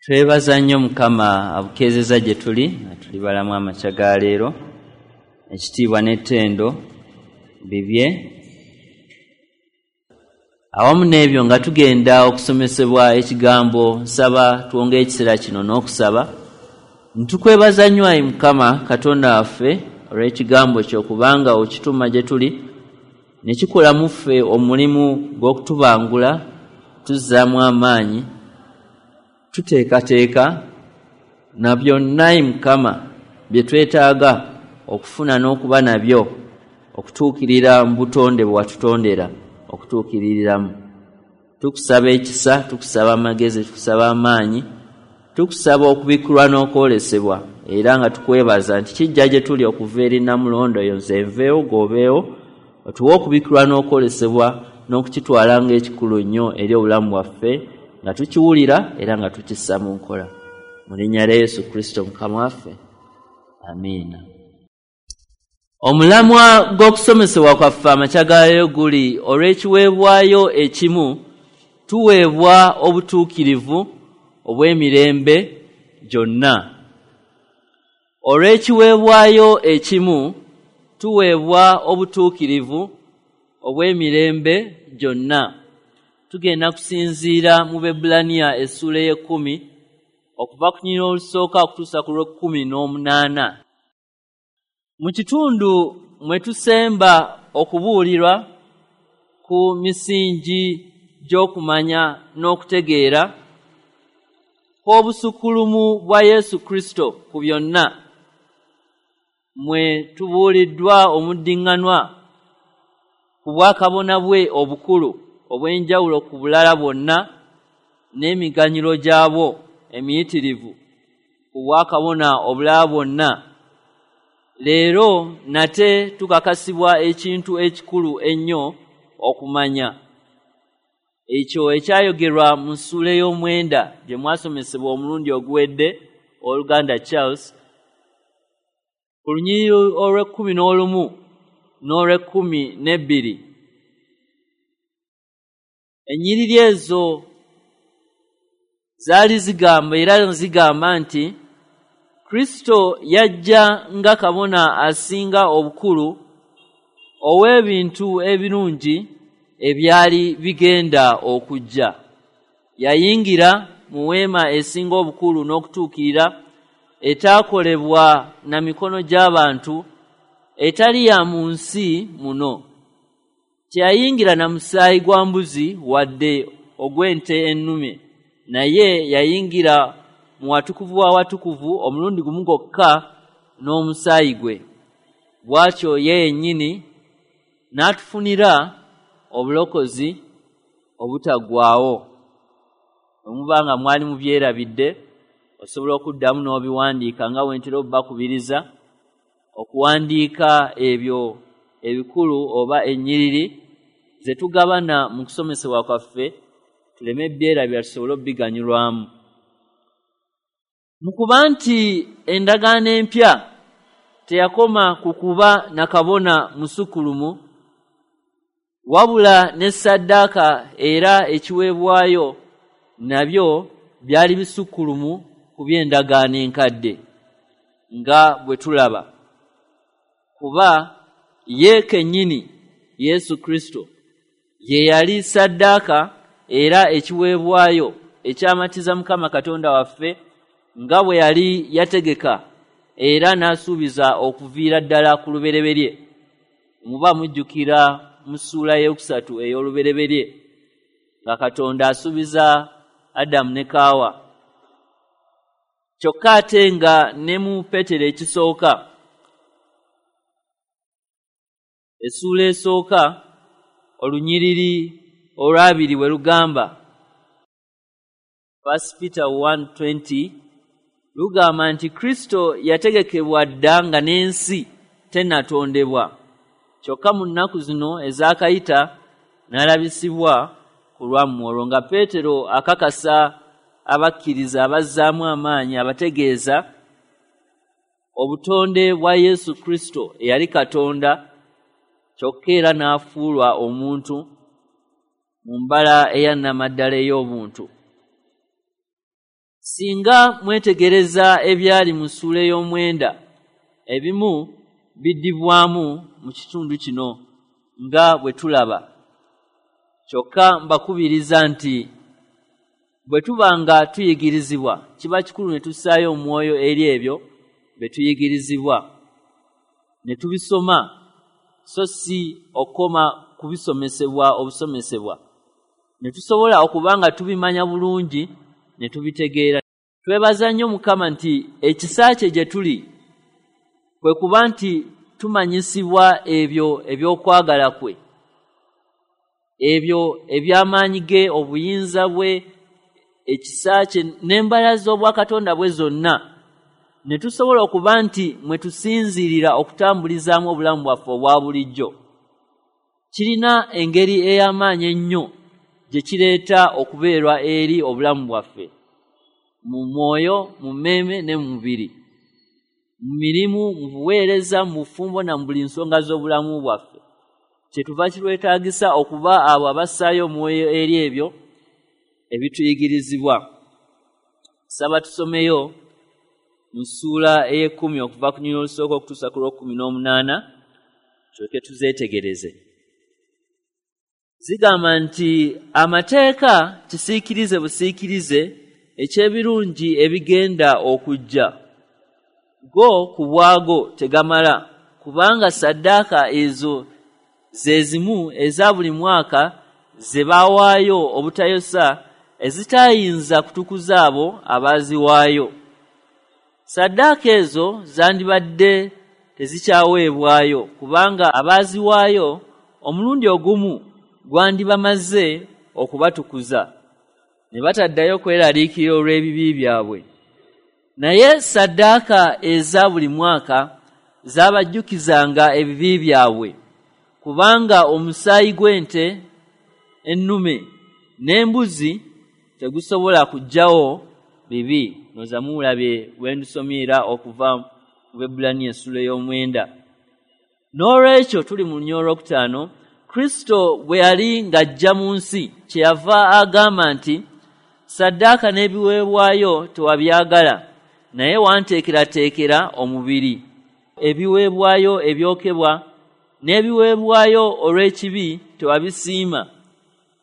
Twebaza nnyo Mukama abukeezeza gye tuli nga tuli balamu amakya ga leero. Ekitiibwa n'ettendo bibye. Awamu n'ebyo nga tugenda okusomesebwa ekigambo, nsaba twongere ekiseera kino n'okusaba. Ntukwebaza nnyo ayi Mukama Katonda waffe olw'ekigambo kyo, kubanga okituma gye tuli ne kikola mu ffe omulimu gw'okutubangula, tuzzaamu amaanyi, tuteekateeka na byonna ayi Mukama bye twetaaga okufuna n'okuba nabyo okutuukirira mu butonde bwe watutondera okutuukiririramu. Tukusaba ekisa, tukusaba amagezi, tukusaba amaanyi, tukusaba okubikkulwa n'okwolesebwa, era nga tukwebaza nti kijja gye tuli okuva eri Nnamulondo eyo nze nveewo g'obeewo, otuwe okubikkulwa n'okwolesebwa n'okukitwala ng'ekikulu nnyo eri obulamu bwaffe, nga tukiwulira era nga tukissa mu nkola. Mu linnya lya Yesu Kristo Mukama waffe, amiina. Omulamwa gw'okusomesebwa kwaffe amakya ga leero guli olw'ekiweebwayo ekimu tuweebwa obutuukirivu obw'emirembe gyonna. Olw'ekiweebwayo ekimu tuweebwa obutuukirivu obw'emirembe gyonna. Tugenda kusinziira mu Baebbulaniya essuula ey'ekkumi okuva ku lunyiriri olusooka okutuusa ku lw'ekkumi n'omunaana. Mu kitundu mwe tusemba okubuulirwa ku misingi gy'okumanya n'okutegeera kw'obusukkulumu bwa Yesu Kristo ku byonna, mwe tubuuliddwa omuddiŋŋanwa ku bwakabona bwe obukulu obw'enjawulo ku bulala bwonna n'emiganyulo gyabwo emiyitirivu ku bwakabona obulala bwonna. Leero nate tukakasibwa ekintu ekikulu ennyo okumanya, ekyo ekyayogerwa mu ssuula ey'omwenda gye mwasomesebwa omulundi oguwedde owooluganda Charles, ku lunyiriri olw'ekkumi n'olumu n'olw'ekkumi n'ebbiri. Ennyiriri ezo zaali zigamba era zigamba nti Kristo yajja nga kabona asinga obukulu ow'ebintu ebirungi ebyali bigenda okujja. Yayingira mu weema esinga obukulu n'okutuukirira, etaakolebwa na mikono gy'abantu, etali ya mu nsi muno. Teyayingira na musaayi gwa mbuzi wadde ogw'ente ennume, naye yayingira mu watukuvu w'awatukuvu omulundi gumu gwokka n'omusaayi gwe. Bw'atyo ye yennyini n'atufunira obulokozi obutaggwaawo. Bwe muba nga mwali mubyerabidde, osobola okuddamu n'obiwandiika nga bwe ntera okubakubiriza okuwandiika ebyo ebikulu oba ennyiriri ze tugabana mu kusomesebwa kwaffe, tuleme byerabira tusobole okubiganyulwamu. Mu kuba nti endagaano empya teyakoma ku kuba na kabona musukkulumu, wabula ne ssaddaaka era ekiweebwayo nabyo byali bisukkulumu ku by'endagaano enkadde, nga bwe tulaba. Kuba ye kennyini Yesu Kristo ye yali ssaddaaka era ekiweebwayo ekyamatiza Mukama Katonda waffe, nga bwe yali yategeka era n'asuubiza okuviira ddala ku lubereberye. Muba mujjukira mu ssuula ey'okusatu ey'olubereberye nga Katonda asuubiza Adamu ne Kaawa. Kyokka ate nga ne mu Peetero ekisooka, essuula esooka olunyiriri olw'abiri we lugamba, 1 Peter 1:20, lugamba nti Kristo yategekebwa dda nga n'ensi tennatondebwa, kyokka mu nnaku zino ezaakayita n'alabisibwa ku lwammwe. Olwo nga Peetero akakasa abakkiriza abazzaamu amaanyi, abategeeza obutonde bwa Yesu Kristo eyali Katonda, kyokka era n'afuulwa omuntu mu mbala eya nnamaddala ey'obuntu. Singa mwetegereza ebyali mu ssuula ey'omwenda, ebimu biddibwamu mu kitundu kino nga bwe tulaba. Kyokka mbakubiriza nti bwe tuba nga tuyigirizibwa, kiba kikulu ne tussaayo omwoyo eri ebyo bye tuyigirizibwa, ne tubisoma, so si okukoma kubisomesebwa obusomesebwa, ne tusobola okuba nga tubimanya bulungi ne tubitegeera. Twebaza nnyo Mukama nti ekisa kye gye tuli kwe kuba nti tumanyisibwa ebyo eby'okwagala kwe, ebyo eby'amaanyi ge, obuyinza bwe, ekisa kye n'embala z'obwakatonda bwe zonna, ne tusobola okuba nti mwe tusinziirira okutambulizaamu obulamu bwaffe obwa bulijjo. Kirina engeri ey'amaanyi ennyo gye kireeta okubeerwa eri obulamu bwaffe mu mwoyo, mu mmeeme ne mu mubiri, mu mirimu, mu buweereza, mu bufumbo na mu buli nsonga z'obulamu bwaffe. Kyetuva kitwetaagisa okuba abo abassaayo omwoyo eri ebyo ebituyigirizibwa. Saba tusomeyo mu ssuula ey'ekkumi okuva ku lunyiriri olusooka okutuusa ku lw'ekumi n'omunaana, tulyoke tuzeetegereze. Zigamba nti amateeka kisiikirize busiikirize eky'ebirungi ebigenda okujja, go ku bwago tegamala, kubanga ssaddaaka ezo ze zimu eza buli mwaka ze baawaayo obutayosa, ezitayinza kutukuza abo abaaziwaayo. Ssaddaaka ezo zandibadde tezikyaweebwayo, kubanga abaaziwaayo omulundi ogumu gwandibamaze okubatukuza, ne bataddayo kweraliikirira olw'ebibi byabwe. Naye ssaddaaka eza buli mwaka zaabajjukizanga ebibi byabwe, kubanga omusaayi gw'ente ennume n'embuzi tegusobola kuggyawo bibi. Noza muwulabye bwe ndusomera okuva mu Baebbulaniya essula ey'omwenda. N'olwekyo tuli mu lunyiriri olwokutaano. Kristo bwe yali ng'ajja mu nsi, kyeyava agamba nti, "Ssaddaaka n'ebiweebwayo tewabyagala, naye wanteekerateekera omubiri. Ebiweebwayo ebyokebwa n'ebiweebwayo olw'ekibi tewabisiima.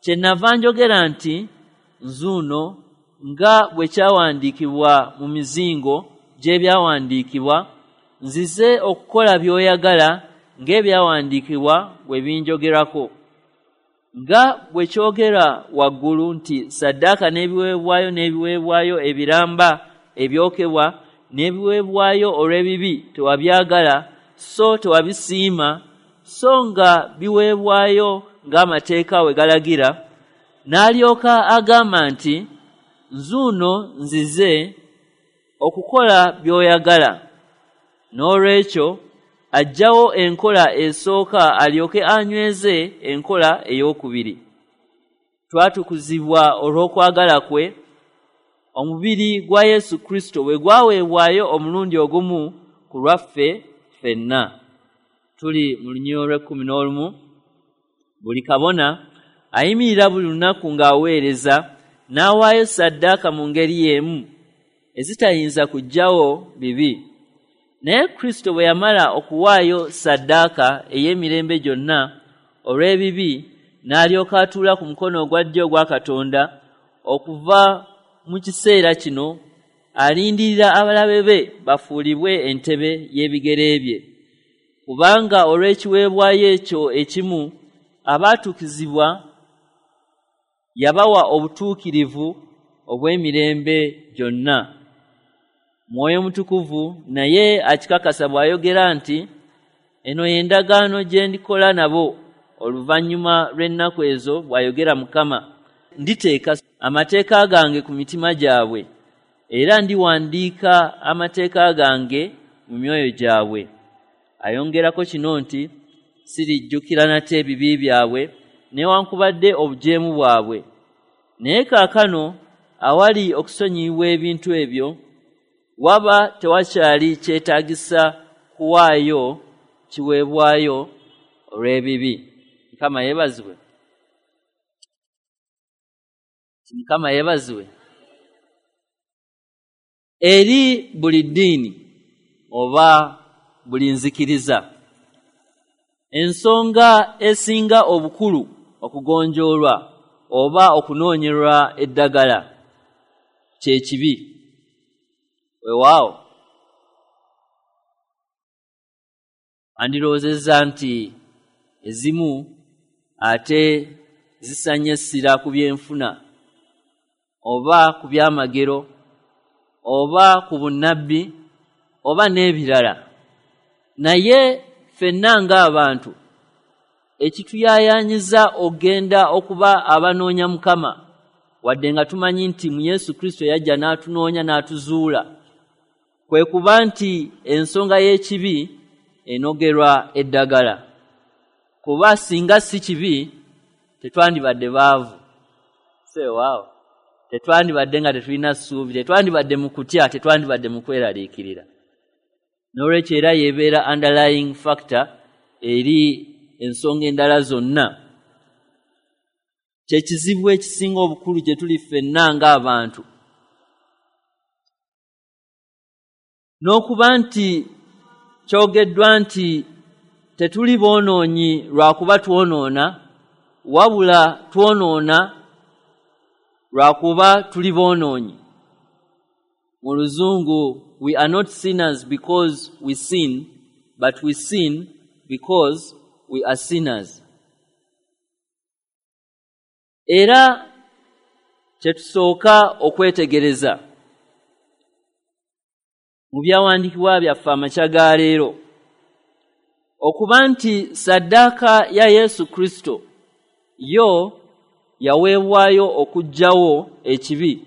Kyennava njogera nti, Nzuuno, nga bwe kyawandiikibwa mu mizingo gy'ebyawandiikibwa, nzize okukola by'oyagala, ng'ebyawandiikibwa bwe binjogerako." Nga bwe kyogera waggulu nti ssaddaaka n'ebiweebwayo n'ebiweebwayo ebiramba ebyokebwa n'ebiweebwayo olw'ebibi tewabyagala, so tewabisiima, so nga biweebwayo ng'amateeka we galagira, n'alyoka agamba nti, "Nzuuno nzize okukola by'oyagala." N'olwekyo aggyawo enkola esooka alyoke anyweze enkola ey'okubiri. Twatukuzibwa olw'okwagala kwe, omubiri gwa Yesu Kristo bwe gwaweebwayo omulundi ogumu ku lwaffe ffenna. Tuli mu lunyiriri olw'ekkumi n'olumu. Buli kabona ayimirira buli lunaku ng'aweereza, n'awaayo ssaddaaka mu ngeri y'emu ezitayinza kuggyawo bibi. Naye Kristo bwe yamala okuwaayo ssaddaaka ey'emirembe gyonna olw'ebibi, n'alyoka atuula ku mukono ogwa ddyo ogwa Katonda. Okuva mu kiseera kino alindirira abalabe be bafuulibwe entebe y'ebigere bye. Kubanga olw'ekiweebwayo ekyo ekimu abaatukuzibwa yabawa obutuukirivu obw'emirembe gyonna. Mwoyo Mutukuvu naye akikakasa bw'ayogera nti, "Eno y'endagaano gye ndikola nabo oluvannyuma lw'ennaku ezo, bw'ayogera Mukama. Nditeeka amateeka gange ku mitima gyabwe, era ndiwandiika amateeka gange mu myoyo gyabwe." Ayongerako kino nti, "Sirijjukira nate ebibi byabwe newankubadde obujeemu bwabwe." Naye kaakano awali okusonyiyibwa ebintu ebyo, waba tewakyali kyetaagisa kuwaayo kiweebwayo olw'ebibi. Mukama yeebazibwe. Mukama yeebazibwe. Eri buli ddiini oba buli nzikiriza, ensonga esinga obukulu okugonjoolwa oba okunoonyerwa eddagala kye kibi. Weewaawo, andirowoozezza nti ezimu ate zisanye essira ku byenfuna oba ku byamagero oba ku bunnabbi oba n'ebirala, naye ffenna ng'abantu ekituyaayaanyiza okugenda okuba abanoonya Mukama, wadde nga tumanyi nti mu Yesu Kristo yajja n'atunoonya n'atuzuula, kwe kuba nti ensonga y'ekibi enogerwa eddagala. Kuba singa si kibi tetwandibadde baavu, seewaawo, tetwandibadde nga tetulina ssuubi, tetwandibadde mu kutya, tetwandibadde mu kweraliikirira. N'olwekyo era yeebeera underlying factor eri ensonga endala zonna. Kye kizibu ekisinga obukulu gye tuli ffenna ng'abantu. N'okuba nti kyogeddwa nti tetuli boonoonyi lwakuba twonoona, wabula twonoona lwakuba tuli boonoonyi. Mu Luzungu, we are not sinners because we sin, but we sin because we are sinners. Era kye tusooka okwetegereza mu byawandiikibwa byaffe amakya ga leero, okuba nti ssaddaaka ya Yesu Kristo yo yaweebwayo okuggyawo ekibi,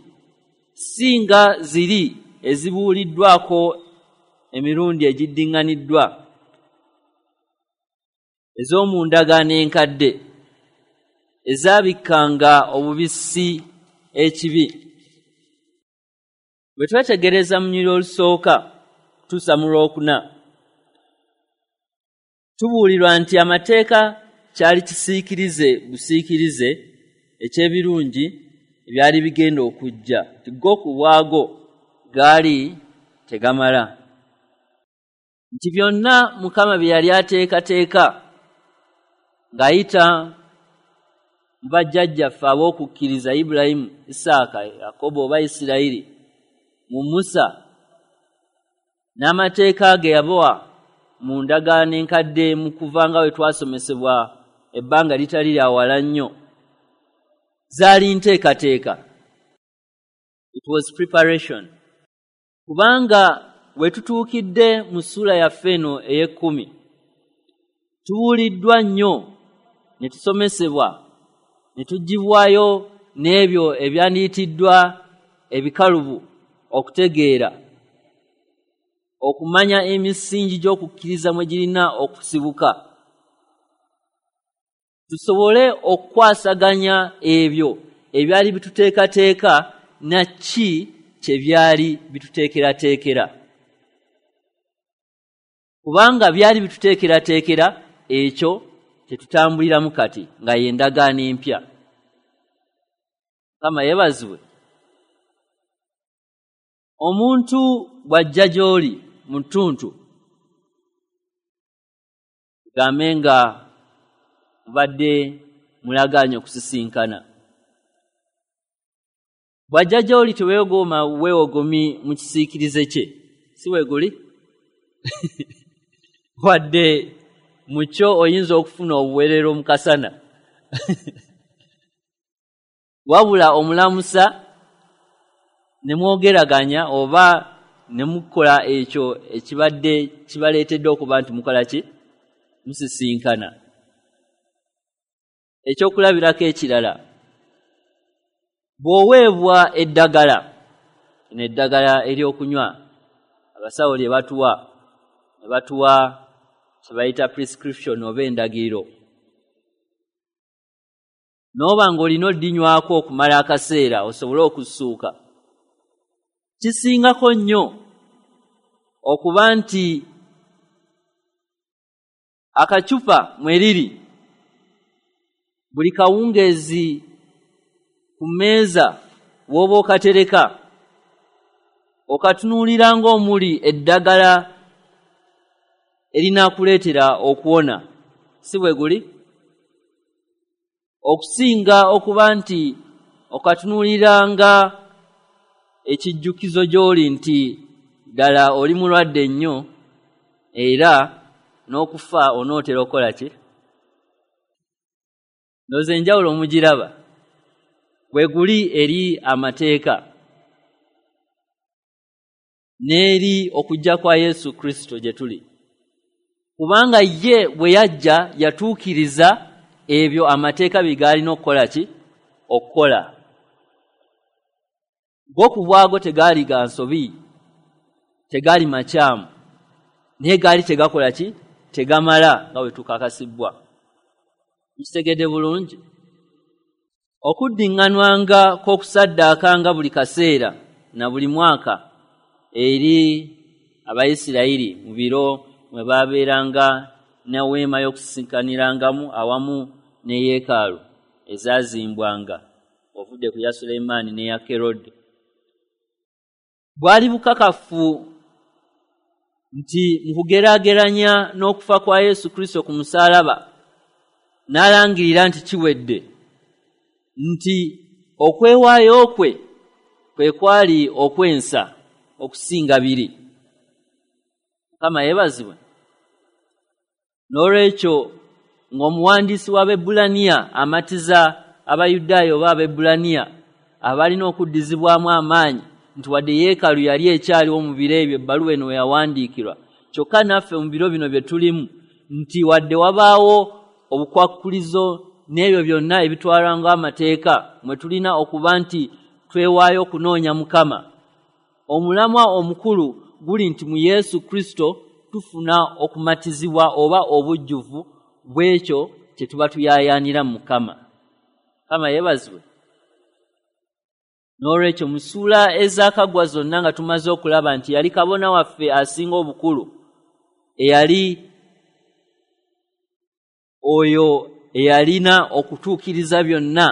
si nga ziri ezibuuliddwako emirundi egiddiŋŋaniddwa ez'omu ndagaano enkadde ezaabikkanga obubisi ekibi. Bwe twetegereza mu lunyiriri olusooka kutuusa mu lwokuna, tubuulirwa nti amateeka kyali kisiikirize busiikirize eky'ebirungi ebyali bigenda okujja, nti go ku bwago gaali tegamala, nti byonna Mukama bye yali ateekateeka ng'ayita mu bajjajjaffe ab'okukkiriza Ibulayimu, Isaaka, Yakobo oba Isirayiri, mu Musa n'amateeka ge yabawa mu ndagaano enkadde mu kuva nga bwe twasomesebwa ebbanga litali lya wala nnyo, zaali nteekateeka. It was preparation. Kubanga we tutuukidde mu ssuula yaffe eno ey'ekkumi, tubuuliddwa nnyo ne tusomesebwa ne tuggyibwayo n'ebyo ebyandiyitiddwa ebikalubu okutegeera, okumanya emisingi gy'okukkiriza mwe girina okusibuka, tusobole okukwasaganya ebyo ebyali bituteekateeka na ki kye byali bituteekerateekera. Kubanga byali bituteekerateekera ekyo kye tutambuliramu kati nga y'endagaano empya. Mukama yeebazibwe. Omuntu bw'ajja gy'oli mu ttuntu, tugambe nga mubadde mulagaanye okusisinkana, bw'ajja gy'oli teweegooma weewogomi mu kisiikirize kye, si weeguli? Wadde mu kyo oyinza okufuna obuweerero mu kasana, wabula omulamusa ne mwogeraganya oba ne mukola ekyo ekibadde kibaleetedde okuba nti mukola ki? Musisinkana. Ekyokulabirako ekirala, bw'oweebwa eddagala, eno eddagala ery'okunywa abasawo lye batuwa, ne batuwa kye bayita prescription oba endagiriro, n'oba ng'olina oddinywako okumala akaseera osobole okussuuka, kisingako nnyo okuba nti akacupa mwe riri buli kawungeezi ku mmeeza w'oba okatereka, Okatunuulira ng'omuli eddagala erinaakuleetera okuwona, si bwe guli? Okusinga okuba nti okatunuulira nga ekijjukizo gy'oli nti ddala oli mulwadde nnyo era n'okufa onootera okukola ki? Ndowooza enjawulo mugiraba. Bwe guli eri amateeka n'eri okujja kwa Yesu Kristo gye tuli. Kubanga ye bwe yajja yatuukiriza ebyo amateeka bye gaalina okukola ki? Okukola. Go ku bwago tegaali ga nsobi, tegaali makyamu, naye gaali tegakola ki? Tegamala nga bwe tukakasibbwa. Mukitegedde bulungi? Okuddiŋŋanwanga kw'okusaddaakanga buli kaseera na buli mwaka eri Abayisirayiri mu biro mwe baabeeranga ne weema y'okusisinkanirangamu awamu ne yeekaalu ezaazimbwanga ovudde ku ya Sulemaani n'eya Kerode. Bwali bukakafu nti mu kugeraageranya n'okufa kwa Yesu Kristo ku musaalaba n'alangirira nti kiwedde, nti okwewaayo kwe kwe kwali okwensa okusinga biri. Mukama yeebazibwe. N'olwekyo ng'omuwandiisi w'Abaebbulaniya amatiza Abayudaaya oba Abaebbulaniya abalina okuddizibwamu amaanyi nti wadde yeekaalu yali ekyaliwo mu biro ebyo ebbaluwa eno we yawandiikirwa, kyokka naffe mu biro bino bye tulimu nti wadde wabaawo obukwakkulizo n'ebyo byonna ebitwalwa ng'amateeka mwe tulina okuba nti twewaayo okunoonya Mukama. Omulamwa omukulu guli nti mu Yesu Kristo tufuna okumatizibwa oba obujjuvu bw'ekyo kye tuba tuyaayaanira mu Mukama. Mukama yeebazibwe. N'olwekyo mu ssuula ezaakaggwa zonna nga tumaze okulaba nti yali kabona waffe asinga obukulu, eyali oyo eyalina okutuukiriza byonna,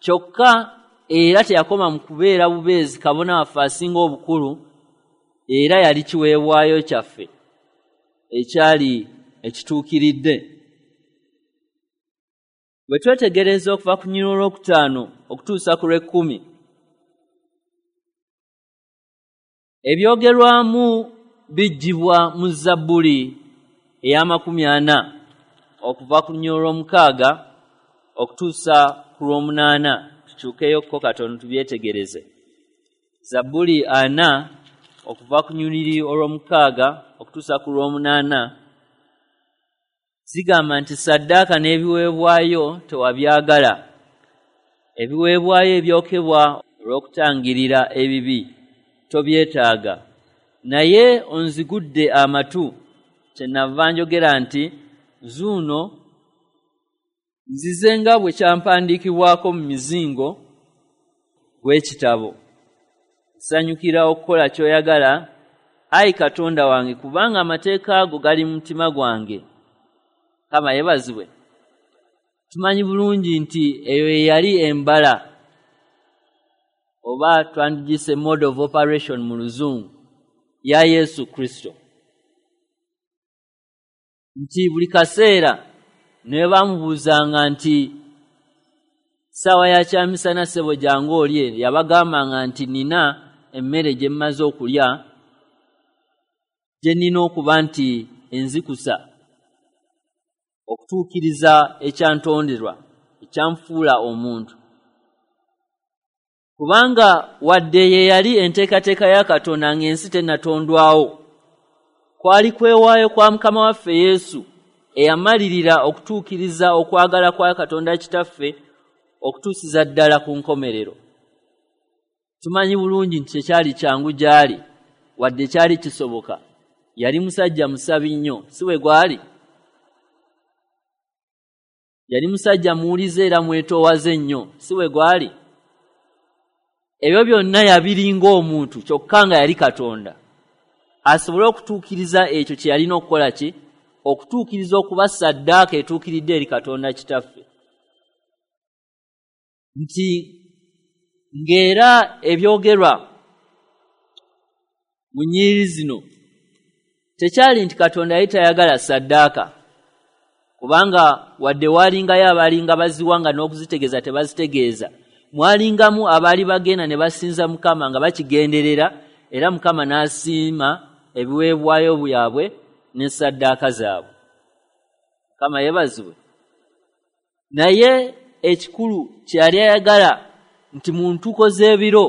kyokka era teyakoma mu kubeera bubeezi kabona waffe asinga obukulu, era yali kiweebwayo kyaffe ekyali ekituukiridde. Bwe twetegereza okuva ku lunyiriri olwokutaano okutuusa ku lw'ekkumi, ebyogerwamu biggyibwa mu Zabbuli ey'amakumi ana okuva ku lunyiriri olw'omukaaga okutuusa ku lw'omunaana. Tukyukeyokko katono tubyetegereze. Zabbuli 40 okuva ku lunyiriri olw'omukaaga okutuusa ku lw'omunaana zigamba nti ssaddaaka n'ebiweebwayo tewabyagala, ebiweebwayo ebyokebwa olw'okutangirira ebibi tobyetaaga, naye onzigudde amatu, kyenava njogera nti nzuuno nzize nga bwe kyampandiikibwako mu mizingo gw'ekitabo. Nsanyukira okukola ky'oyagala, ayi Katonda wange, kubanga amateeka ago gali mu mutima gwange. Mukama yeebazibwe. Tumanyi bulungi nti eyo ye yali embala, oba twandigiyise mode of operation mu Luzungu, ya Yesu Kristo. Nti buli kaseera ne bamubuuzanga nti ssaawa ya kyamisana ssebo jangu olye, yabagambanga nti nina emmere gye mmaze okulya gye nnina okuba nti enzikusa okutuukiriza ekyantonderwa, ekyanfuula omuntu. Kubanga wadde ye yali enteekateeka ya Katonda ng'ensi tennatondwawo, kwali kwewaayo kwa Mukama waffe Yesu eyamalirira okutuukiriza okwagala kwa Katonda Kitaffe okutuusiza ddala ku nkomerero. Tumanyi bulungi nti tekyali kyangu gy'ali, wadde kyali kisoboka. Yali musajja musabi nnyo, si bwe gwali? Yali musajja muwulize era mwetoowaze nnyo, si bwe gwali? Ebyo byonna yabiri ng'omuntu kyokka nga yali Katonda, asobole okutuukiriza ekyo kye yalina okukola ki? Okutuukiriza okuba ssaddaaka etuukiridde eri Katonda Kitaffe. Nti ng'era ebyogerwa Mu nnyiriri zino tekyali nti Katonda yali tayagala ssaddaaka, kubanga wadde waalingayo abaalinga baziwanga n'okuzitegeeza tebazitegeeza, mwalingamu abaali bagenda ne basinza Mukama nga bakigenderera, era Mukama n'asiima ebiweebwayo byabwe ne ssaddaaka zaabwe. Mukama yeebazibwe. Naye ekikulu kye yali ayagala nti mu ntuuko z'ebiro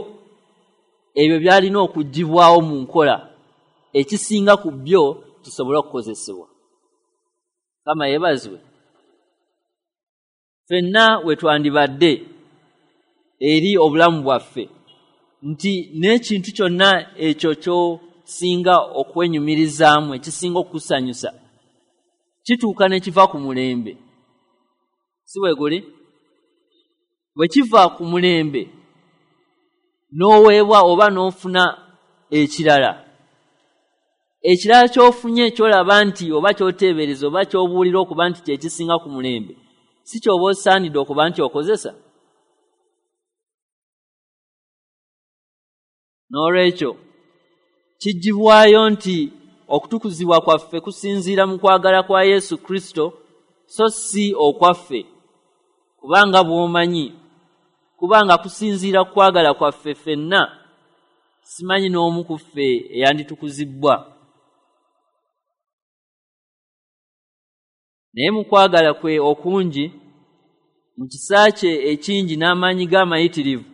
ebyo byalina okuggyibwawo mu nkola, ekisinga ku byo kisobole okukozesebwa. Mukama yeebazibwe. Ffenna we twandibadde eri obulamu bwaffe nti n'ekintu kyonna ekyo ky'osinga okwenyumirizaamu, ekisinga okukusanyusa, kituuka ne kiva ku mulembe. Si bwe guli? Bwe kiva ku mulembe n'oweebwa oba n'ofuna ekirala, ekirala ky'ofunye ky'olaba nti oba ky'oteebereza oba ky'obuulira okuba nti kye kisinga ku mulembe, si ky'oba osaanidde okuba nti okozesa. N'olwekyo kiggyibwayo nti okutukuzibwa kwaffe kusinziira mu kwagala kwa Yesu Kristo so si okwaffe, kubanga bw'omanyi, kubanga kusinziira ku kwagala kwaffe ffenna, simanyi n'omu ku ffe eyanditukuzibbwa. Naye mu kwagala kwe okungi, mu kisa kye ekingi n'amaanyi ge amayitirivu,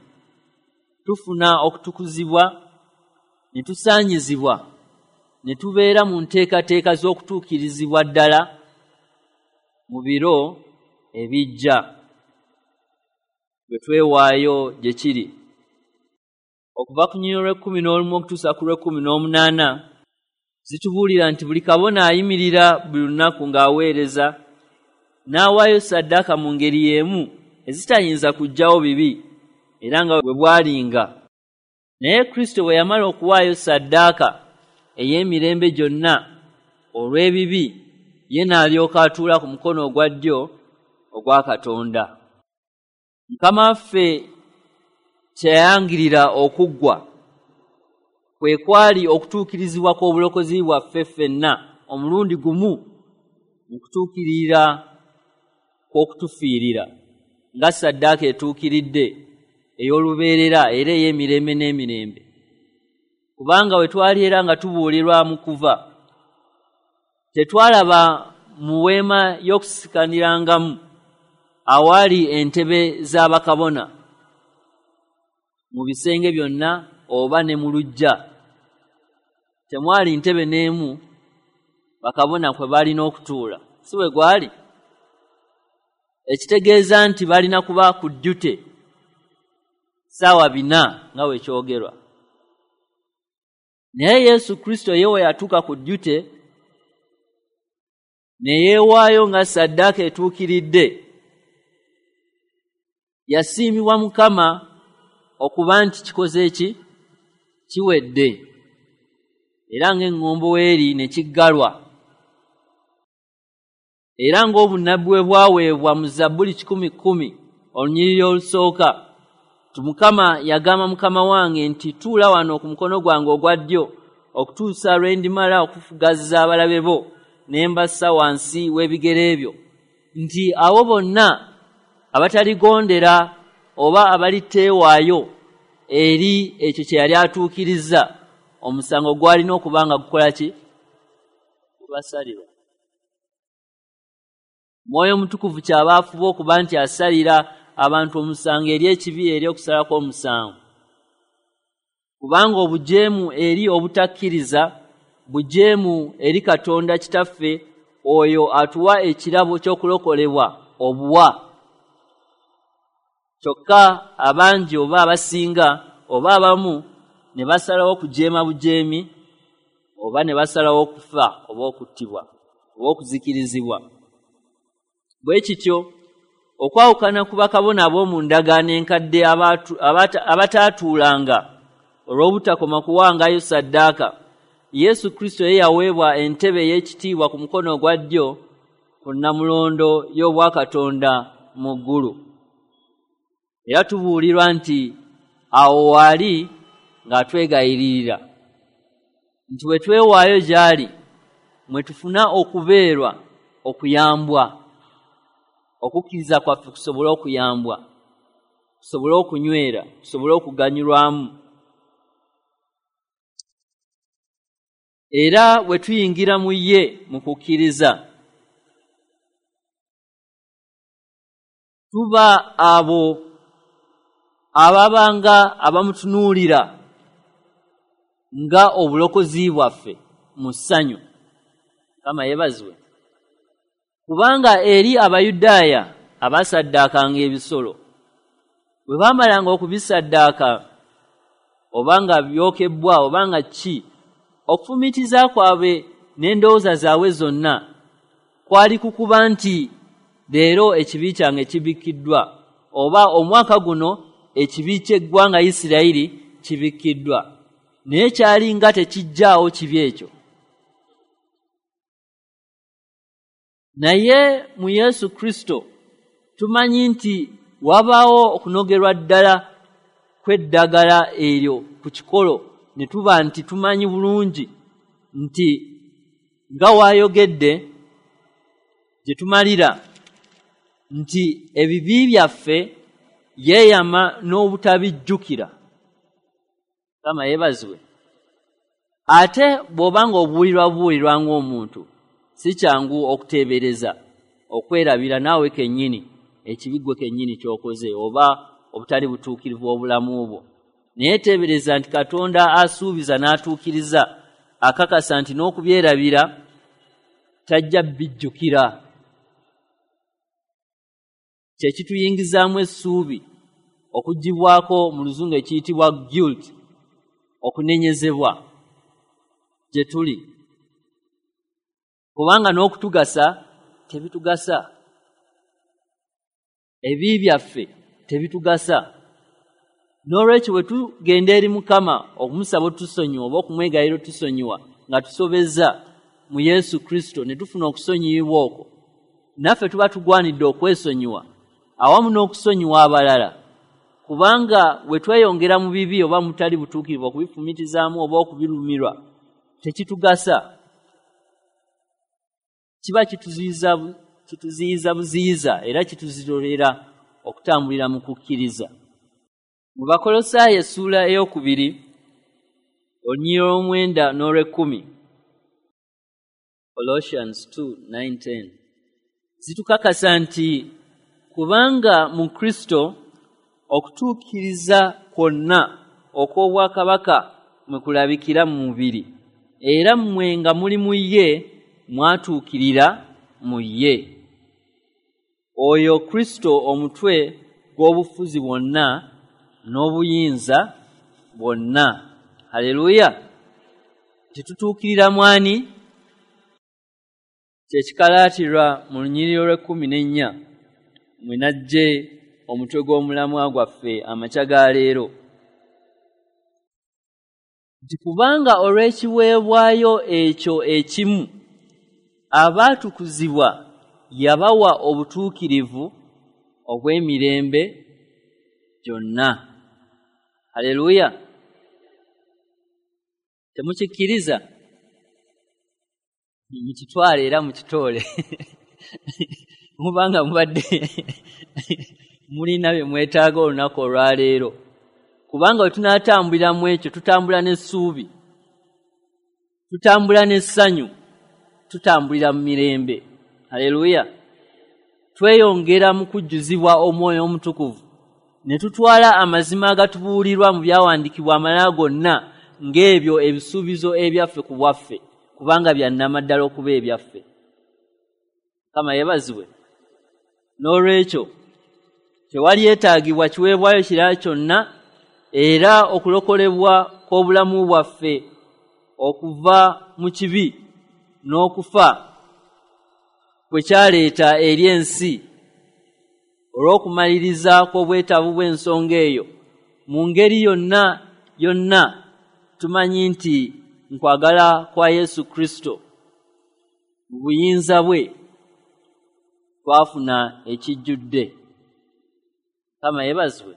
tufuna okutukuzibwa ne tusaanyizibwa ne tubeera mu nteekateeka z'okutuukirizibwa ddala mu biro ebijja bwe twewaayo gye kiri. Okuva ku nnyiriri lw'e11 okutuusa ku lw'e18 zitubuulira nti buli kabona ayimirira buli lunaku ng'aweereza n'awaayo ssaddaaka mu ngeri y'emu ezitayinza kuggyawo bibi, era nga bwe bwalinga. Naye Kristo bwe yamala okuwaayo ssaddaaka ey'emirembe gyonna olw'ebibi, ye n'alyoka atuula ku mukono ogwa ddyo ogwa Katonda. Mukama waffe kyeyayangirira okuggwa kwe kwali okutuukirizibwa kw'obulokozi bwaffe ffenna omulundi gumu mu kutuukirira kw'okutufiirira nga ssaddaaka etuukiridde ey'olubeerera era ey'emirembe n'emirembe. Kubanga we twali era nga tubuulirwa mu kuva, tetwalaba mu weema y'okusikanirangamu awaali entebe z'abakabona mu bisenge byonna oba ne mu luggya. Temwali ntebe n'emu bakabona kwe balina okutuula, si bwe gwali? Ekitegeeza nti balina kuba ku ddute 4:00 nga bwe kyogerwa. Naye Yesu Kristo ye we yatuuka ku ddute ne yeewaayo nga ssaddaaka etuukiridde, yasiimibwa Mukama okuba nti kikoze ki? Kiwedde. Era ng'eŋŋombo weeri ne kiggalwa. Era ng'obunnabbi bwe bwaweebwa mu Zabbuli 110 olunyiriri olusooka, nti Mukama yagamba Mukama wange nti tuula wano ku mukono gwange ogwa ddyo okutuusa lwe ndimala okufugazza abalabe bo ne mbassa wansi w'ebigere byo, nti abo bonna abataligondera oba abaliteewaayo eri ekyo kye yali atuukirizza, omusango gwalina okuba nga gukola ki? Gubasalirwa. Mwoyo Mutukuvu kyaba afuba okuba nti asalira abantu omusango eri ekibi, eri okusalako omusango. Kubanga obujeemu eri obutakkiriza, bujeemu eri Katonda Kitaffe oyo atuwa ekirabo ky'okulokolebwa obuwa. Kyokka abangi oba abasinga oba abamu ne basalawo okujeema bujeemi oba ne basalawo okufa oba okuttibwa oba okuzikirizibwa. Bwe kityo okwawukana ku bakabona ab'omu ndagaano enkadde abataatuulanga olw'obutakoma kuwangayo ssaddaaka, Yesu Kristo ye yaweebwa entebe ey'ekitiibwa ku mukono ogwa ddyo ku nnamulondo y'obwakatonda mu ggulu. Era tubuulirwa nti awo waali ng'atwegayiririra. Nti bwe twewaayo gy'ali mwe tufuna okubeerwa, okuyambwa, okukkiriza kwaffe kusobole okuyambwa, kusobole okunywera, kusobole okuganyulwamu. Era bwe tuyingira mu ye mu kukkiriza, tuba abo ababanga abamutunuulira nga obulokozi bwaffe mu ssanyu. Mukama yeebazibwe. Kubanga eri Abayudaaya abasaddaakanga ebisolo, bwe baamalanga okubisaddaaka oba nga byokebbwa oba nga ki, okufumiitiriza kwabwe n'endowooza zaabwe zonna kwali kukuba nti leero ekibi kyange kibikkiddwa, oba omwaka guno ekibi ky'eggwanga Isirayiri kibikkiddwa. Naye kyali nga tekijjaawo kibi ekyo. Naye mu Yesu Kristo tumanyi nti wabaawo okunogerwa ddala kw'eddagala eryo ku kikolo, ne tuba nti tumanyi bulungi nti nga waayogedde gye tumalira nti ebibi byaffe yeeyama n'obutabijjukira. Mukama yeebazibwe. Ate bw'oba ng'obuulirwa buulirwa ng'omuntu, si kyangu okuteebereza, okwerabira naawe kennyini ekibi ggwe kennyini ky'okoze oba obutali butuukirivu obulamu bwo. Naye teebereza nti Katonda asuubiza n'atuukiriza, akakasa nti n'okubyerabira tajja bijjukira. Kye kituyingizaamu essuubi okuggyibwako mu luzungu ekiyitibwa guilt, okunenyezebwa gye tuli. Kubanga n'okutugasa tebitugasa, ebibi byaffe tebitugasa. N'olwekyo bwe tugenda eri Mukama okumusaba otusonyiwa oba okumwegayirira otusonyiwa nga tusobezza mu Yesu Kristo ne tufuna okusonyiyibwa okwo, naffe tuba tugwanidde okwesonyiwa awamu n'okusonyiwa abalala. Kubanga bwe tweyongera mu bibi oba mutali butuukirivu okubifumitizaamu oba okubirumirwa, tekitugasa. Kiba kituziyiza buziyiza era kituzirolera okutambulira mu kukkiriza. Mu Bakolosaayi essuula 2 olunyiriri olw'omwenda n'olw'ekkumi, Colossians 2:9-10, zitukakasa nti kubanga mu Kristo okutuukiriza kwonna okw'obwakabaka mwe kulabikira mu mubiri, era mmwe nga muli mu ye mwatuukirira mu ye. Oyo Kristo omutwe gw'obufuzi bwonna n'obuyinza bwonna. Haleluya! Tetutuukirira mwani? Kye kikalaatirwa mu lunyiriri olw'e14 mwe najje omutwe gw'omulamwa gwaffe amakya ga leero. Nti kubanga olw'ekiweebwayo ekyo ekimu abaatukuzibwa yabawa obutuukirivu obw'emirembe gyonna. Haleluya! Temukikkiriza? Mukitwale era mukitoole. Mubanga mubadde mulina bye mwetaaga olunaku olwaleero. Kubanga bwe tunaatambulira mu ekyo, tutambula n'essuubi, tutambula n'essanyu, tutambulira mu mirembe. Haleluya! Tweyongera mu kujjuzibwa Omwoyo Omutukuvu ne tutwala amazima agatubuulirwa mu byawandiikibwa amalala gonna ng'ebyo ebisuubizo ebyaffe ku bwaffe, kubanga bya nnamaddala okuba ebyaffe. Mukama yeebazibwe. N'olwekyo tewali yeetaagibwa kiweebwayo kirala kyonna, era okulokolebwa kw'obulamu bwaffe okuva mu kibi n'okufa kwe kyaleeta eri ensi olw'okumaliriza kw'obwetaavu bw'ensonga eyo mu ngeri yonna yonna, tumanyi nti nkwagala kwa Yesu Kristo mu buyinza bwe twafuna ekijjudde. Mukama yeebazibwe.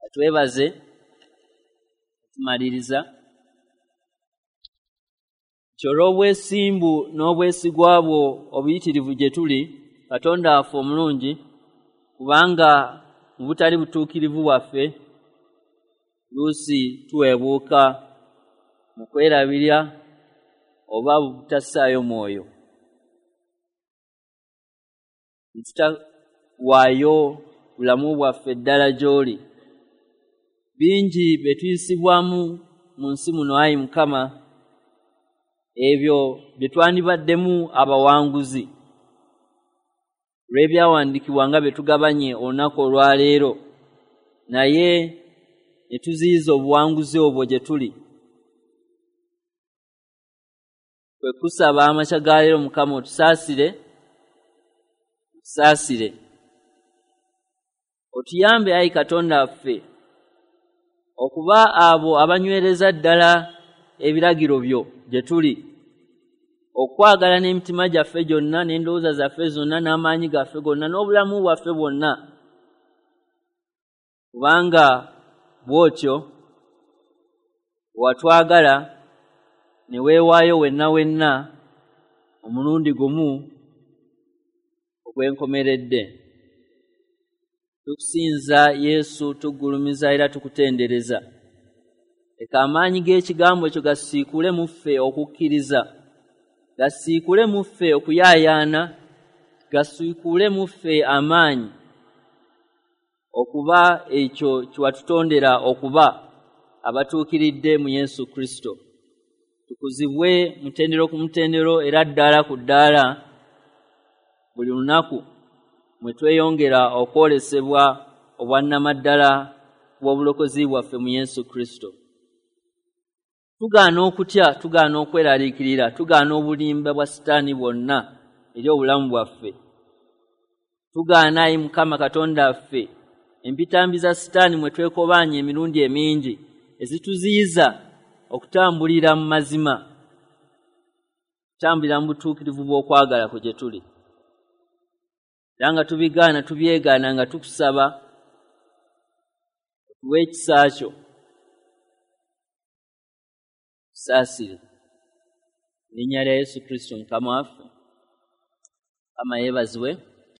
Atwebaze tumaliriza. Olw'obwesimbu n'obwesigwa bwo obuyitirivu gye tuli, Katonda waffe omulungi, kubanga mu butali butuukirivu bwaffe luusi tuweebuuka mu kwerabira oba butassaayo mwoyo, ne tutawaayo bulamu bwaffe ddala gy'oli. Bingi bye tuyisibwamu mu nsi muno, ayi Mukama, ebyo bye twandibaddemu abawanguzi olw'ebyawandiikibwa nga bye tugabanye olunaku olwaleero, naye ne tuziyiza obuwanguzi obwo gye tuli. Kwe kusaba amakya ga leero, Mukama, otusaasire, otusaasire, otuyambe, ayi Katonda waffe, okuba abo abanywereza ddala ebiragiro byo gye tuli, okwagala n'emitima gyaffe gyonna n'endowooza zaffe zonna n'amaanyi gaffe gonna n'obulamu bwaffe bwonna, kubanga bw'otyo watwagala ne weewaayo wenna wenna omulundi gumu ogw'enkomeredde. Tukusinza Yesu, tugulumiza era tukutendereza. Leka amaanyi g'ekigambo ekyo gasiikule mu ffe okukkiriza, gasiikule mu ffe okuyaayaana, gasiikule mu ffe amaanyi okuba ekyo kye watutondera okuba abatuukiridde mu Yesu Kristo. Tukuzibwe mutendero ku mutendero era ddaala ku ddaala buli lunaku mwe tweyongera okwolesebwa obwannamaddala bw'obulokozi bwaffe mu Yesu Kristo. Tugaana okutya, tugaana okweraliikirira, tugaana obulimba bwa Sitaani bwonna eri obulamu bwaffe. Tugaana, ayi Mukama Katonda waffe, empitambi za Sitaani mwe twekobaanya emirundi emingi ezituziyiza okutambulira mu mazima, okutambulira mu butuukirivu bw'okwagala kwe gye tuli. Era nga tubigaana, tubyegaana, nga tukusaba otuwe ekisa kyo, tusaasire. Mu linnya lya Yesu Kristo Mukama waffe. Mukama yeebazibwe.